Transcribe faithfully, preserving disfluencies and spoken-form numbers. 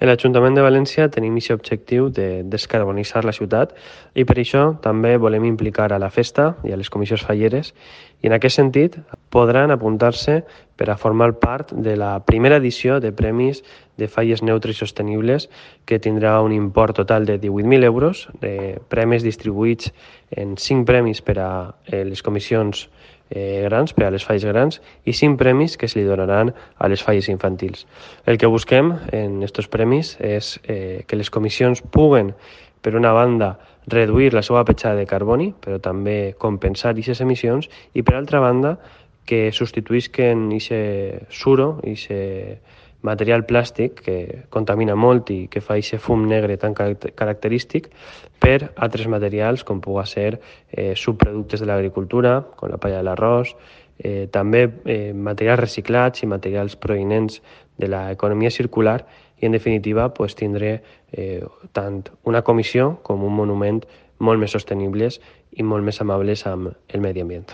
En l'Ajuntament de València tenim aquest objectiu de descarbonitzar la ciutat i per això també volem implicar a la festa i a les comissions falleres i en aquest sentit podran apuntar-se per a formar part de la primera edició de Premis de Falles Neutres i Sostenibles que tindrà un import total de divuit mil euros, de premis distribuïts en cinc premis per a les comissions eh, grans, per a les falles grans, i cinc premis que se li donaran a les falles infantils. El que busquem en aquests premis és eh, que les comissions puguen, per una banda, reduir la seva petjada de carboni, però també compensar aquestes emissions, i per altra banda, que substituïsquen aquest suro, aquest material plàstic que contamina molt i que fa aquest fum negre tan característic per altres materials com pugui ser eh, subproductes de l'agricultura, com la palla de l'arròs, eh, també eh, materials reciclats i materials provinents de l'economia circular i, en definitiva, pues, tindré eh, tant una comissió com un monument molt més sostenibles i molt més amables amb el medi ambient.